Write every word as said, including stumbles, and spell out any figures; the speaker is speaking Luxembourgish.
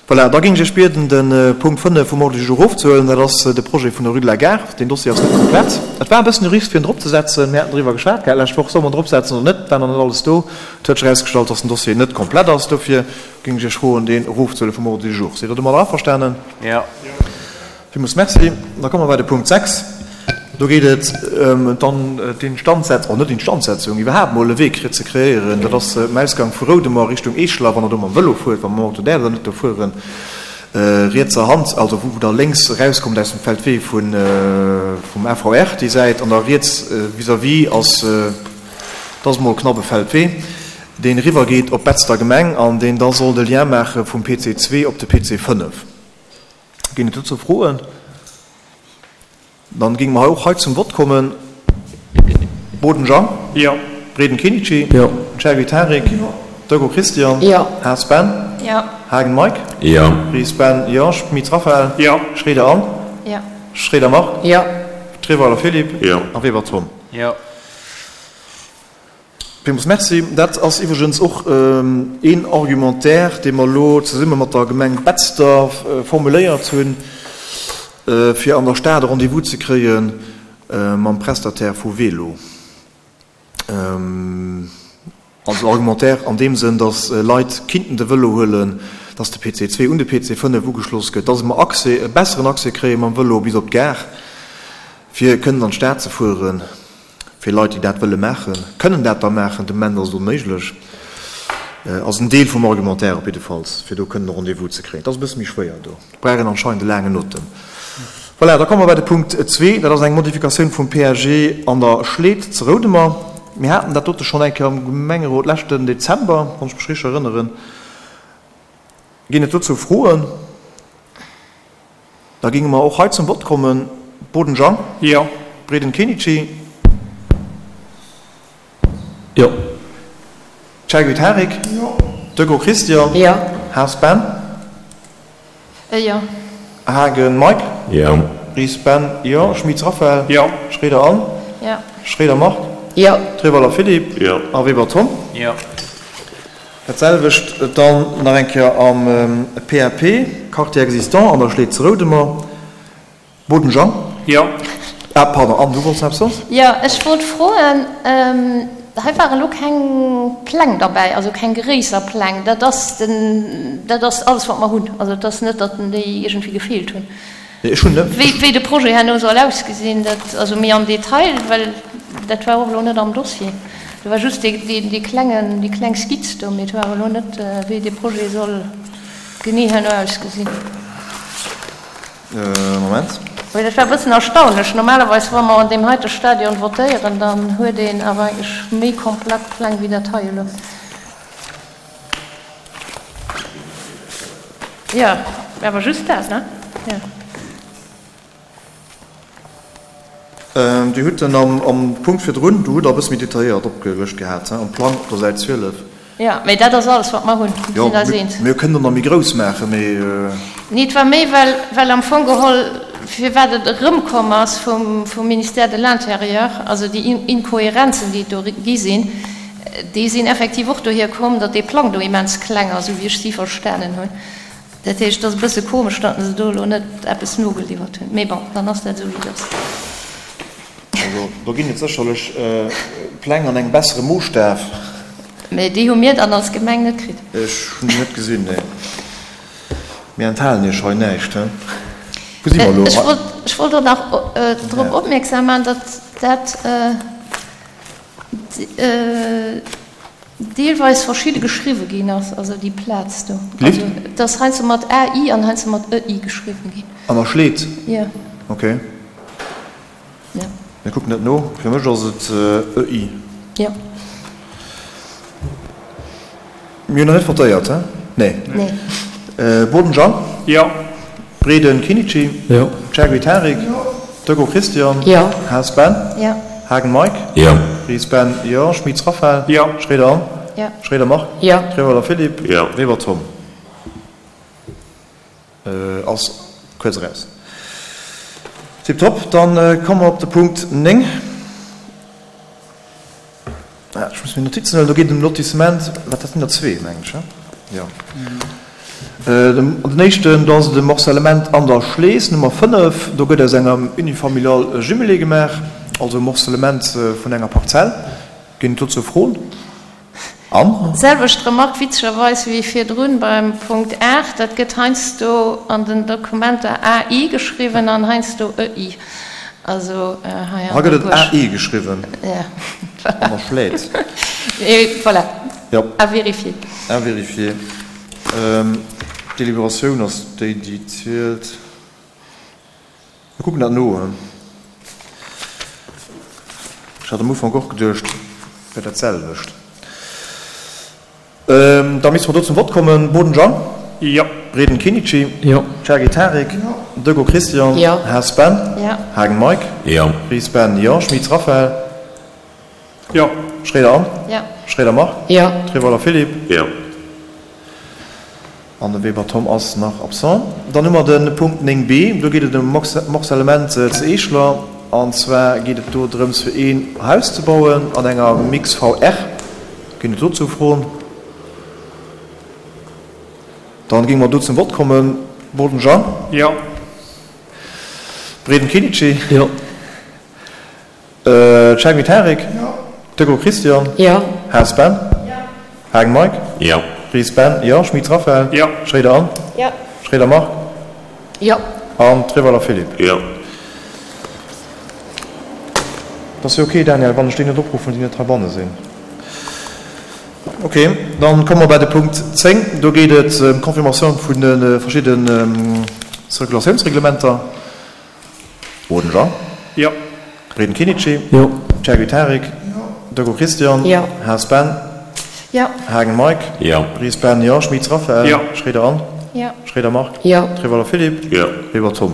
Voilà, da géing ech Iech bieden, de Punkt fënnef vum Ordre du jour erofzehuelen. Dat ass de Projet vun der Rue de la Gare. Deen Dossier ass net komplett. Et war e bëssen e Risque, fir en dropzesetzen. Mir haten driwwer geschwat gehat d'lescht Woch, Solle mer en dropsetzen oder net? Et war nach net alles do. Et huet sech erausgestallt, dass den Dossier net komplett ass. Dofir géing ech Iech froen, deen erofzehuele vum Ordre du jour. Sidd Der domadder averstanen? Jo. Villmools Merci. Da komme mer bei de Punkt sechs. Do geet et ëm d'Instandsetzung, oh net Instandsetzung, iwwerhaapt mol e Wee ze kreéieren. Dat ass um Ausgang vu Roudemer Richtung Eeschler, wann Der do mam Vëlo fuert, wa mam Auto däerft Der net do fueren, rietser Hand, also wou Der lénks erauskommt aus dem Feldwee vum A V R, déi Säit, an da riets vis-à-vis ass, dat ass mol knapp e Feldwee, deen eriwwergeet op d'Betzder Gemeng an deen da soll de Lien maache vum P C zwee op de P C fënnef. Ginn et dozou Froen? Dann géinge mer hei och hei zum Vott kommen. Boden Jean. Jo. Breden Kenichi. Jo. Chergui Tarik. Jo. Dego Christian. Jo. Haas Ben. Jo. Haagen Mike. Jo. Ries Ben. Jo. Schmit Raphaël. Jo. Schroeder Anne. Jo. Schroeder Marc. Jo. Treweiler Philippe. Jo. A Weber Tom. Jo. Villmools Merci. Dat ass iwwregens och een Argumentaire, dee mer elo zesumme mat der Gemeng Betzder formuléiert hunn, fir an der Stad e Rendez-vous ze kréie mam Prestataire vu Welo. Also Argumentaire an deem Sënn, datt Leit kinnten de Vëlo huelen, datt de P C zwee un de P C fënnef ugeschloss gëtt, datt mer Accès, e besseren Accès kréie mam Vëlo bis op d'Gare, fir kënnen an d'Stad ze fueren. Fir Leit, déi dat wëlle maachen, kënnen dat da maachen. De Moment ass et onméiglech. Ass en Deel vum Argumentaire op jiddefalls, fir do kënnen e Rendez-vous ze kréien. Et ass e bësse méi schwéier do. Et brauch een anscheinend e laangen Otem. Voilà, da komme mer bei de Punkt zwee. Dat ass eng Modifikatioun vum P A G an der Schleed ze Roudemer. Mir haten dat dote schonn eng Kéier am Gemengerot leschten Dezember, wann ech mech richteg erënneren. Ginn et dozou Froen? Da géinge mer och hei zum Vott kommen. Boden Jean. Jo. Breden Kenichi. Jo. Chergui Tarik. Jo. Dego Christian. Jo. Haas Ben. Jo. Haagen Mike. Jo. Ries Ben. Jo. Schmitz Raphaël. Jo. Schroeder Anne. Jo. Schroeder Marc. Jo. Treweiler Philippe. Jo. A Weber Tom. Jo. Dat selwecht dann nach eng Kéier am P A P, Quartier existant an der Schleed zu Roudemer. Boden Jean. Jo. Ah, pardon, Anne, du wollts nach eppes soen? Jo, ech wollt froen, hei ware lo keng Pläng derbäi, also keng gréisser Pläng. Dat ass den, dat ass alles, wat mer hunn. Also et ass net, datt déi iergendwéi gefeelt hunn. Nee, ech hunn net. Wéi, wéi de Projet herno soll ausgesinn, dat, also méi am Detail, well dat war och elo net am Dossier. Do war just dee, dee, dee klengen, déi kleng Skizz do, mee et war elo net, wéi dee Projet soll genee herno ausgesinn. Moment. Well dat war e bëssen erstaunlech. Normalerweis, wa mer an deem heite Stadion votéieren, dann huet een awer eigentlech méi komplett Pläng wéi dat hei elo. Jo, awer just dat, ne? Jo. Dir hutt en am Punkt virdrun, do hutt Der e bësse méi detailléiert opgelëscht gehat, am Plang op der Säit zwielef. Jo, mee dat ass alles, wat mer hunn. Mir Jo, sinn eis eens. mir kënnen och nach méi grouss maachen, mee. Nee, et war méi, well, well am Fong geholl, firwat et erëmkomm ass vum, vum Ministère de l'Intérieur, also déi Inkohärenzen, déi et do gi sinn, déi sinn effektiv och dohier komm, datt dee Plang do immens kleng ass, esou wéi ech si verstanen hunn. Dat heescht, et ass e bësse komesch, datt se do elo net eppes nogeliwwert hunn. Mee bon, dann ass dat esou, wéi et ass. Also, do ginn et sécherlech Pläng an engem bessere Moosstaf. Mee déi hu mir dann als Gemeng net kritt. Ech hunn déi net gesinn, nee. Mir enthalen Iech hei näischt, he? Wou si mer elo? Ech wollt, ech wollt och nach drop opmierksam maachen, datt dat deelweis verschidde geschriwwe ginn ass, also déi Plaz do. Lift? Also et ass heiansdo mat A I an heiansdo mat E I geschriwwen ginn. An der Schleed? Jo. Okay. Jo. Mir kucken dat no. Fir mech ass et E I. Jo. Mir hunn nach net votéiert, he? Nee. Nee. Boden Jean. Jo. Breden Kinichi. Jo. Chergui Tarik. Jo. Dego Christian. Jo. Haas Ben. Jo. Haagen Mike. Jo. Ries Ben. Jo. Schmitz Raphaël. Jo. Schroeder Anne. Jo. Schroeder Marc. Jo. Treweiler Philippe. Jo. Weber Tom. Ass kuerz eraus. Tiptop. Dann komme mer op de Punkt néng. Ech muss meng Notizen huelen. Do geet et ëm Lotissement, wat, dat sinn der zwee, mengen ech, he? Jo. Den éischten, do ass et e Morcellement an der Schlees, Nummer fënnef. Do gëtt aus engem Unifamilial e Jumelé gemaach, also e Morcellement vun enger Parzell. Ginn et dozou Froen? Anne? Selwecht Remark witzegerweis wéi virdrun beim Punkt aacht, dat gëtt heiansdo an den Dokumenter A I geschriwwen an heiansdo E I. Also hei an der. Hei gëtt et A E geschriwwen. Ja, voilà. An der Schlees. Voilà. Jo. À vérifier. À vérifier. D'Deliberatioun ass déi, déi zielt. Mir kucken dat no. Ech hat am Ufank och geduecht, et wär dat selwecht. Da misste mer do zum Vott kommen. Boden Jean? Jo. Breden Kinichi? Jo. Chergy Tarik? Jo. Deco Christian? Jo. Haas Ben? Jo. Haagen Mike? Jo. Ries Ben? Jo. Schmitz Raphaël? Jo. Schroeder Anne? Jo. Schroeder Marc? Jo. Treweiler Philippe? Jo. An de Weber Tom ass nach absent. Dann hu mer de Punkt néng B, do geet et ëm Morcellement ze Eeschler. An zwar geet et do drëms, fir een Haus ze bauen an enger Mix V R. Ginn et dozou Froen? Dann géinge mer do zum Vott kommen. Boden Jean? Jo. Breden Kinici? Jo. Chergy Tarik? Jo. Deco Christian? Jo. Haas Ben? Jo. Hagen Mike? Jo. Ries Ben? Jo. Schmitz Raphaël? Jo. Schroeder Anne? Jo. Schroeder Marc? Jo. An Treweiler Philippe? Jo. Et ass jo ok, Daniel, wann ech déi net opruffen, déi net heibanne sinn. Ok, dann komme mer bei de Punkt zéng. Do geet et ëm d'Confirmatioun vun de verschidde Circulatiounsreglementer. Boden Jean. Jo. Breden Kinici. Jo. Chergy Tarik. Jo. Deco Christian. Jo. Haas Ben. Jo. Haagen Mike. Jo. Ries Ben, jo. Schmitz Raphaël. Jo. Schroeder Anne. Jo. Schroeder Marc. Jo. Treweiler Philippe. Jo. Weber Tom.